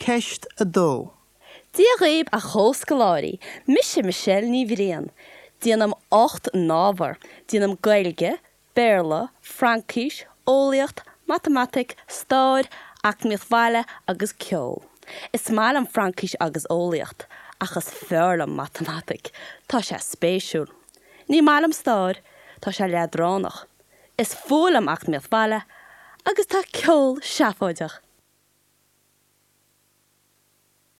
Ceist 2. Dia dhaoib a chomhscoláirí, mise Michelle Ní Bhriain. Déanaim 8 n-ábhar. Déanaim Gaeilge, Béarla, Fraincis, Eolaíocht, Matamaitic, Stair, Eacnamaíocht Bhaile agus Ceol. Is maith liom Fraincis agus Eolaíocht, ach is fearr liom Matamaitic. Tá sé spéisiúil. Ní maith liom Stair, tá sé leadránach. Is fuath liom Eacnamaíocht Bhaile agus tá Ceol seafóideach.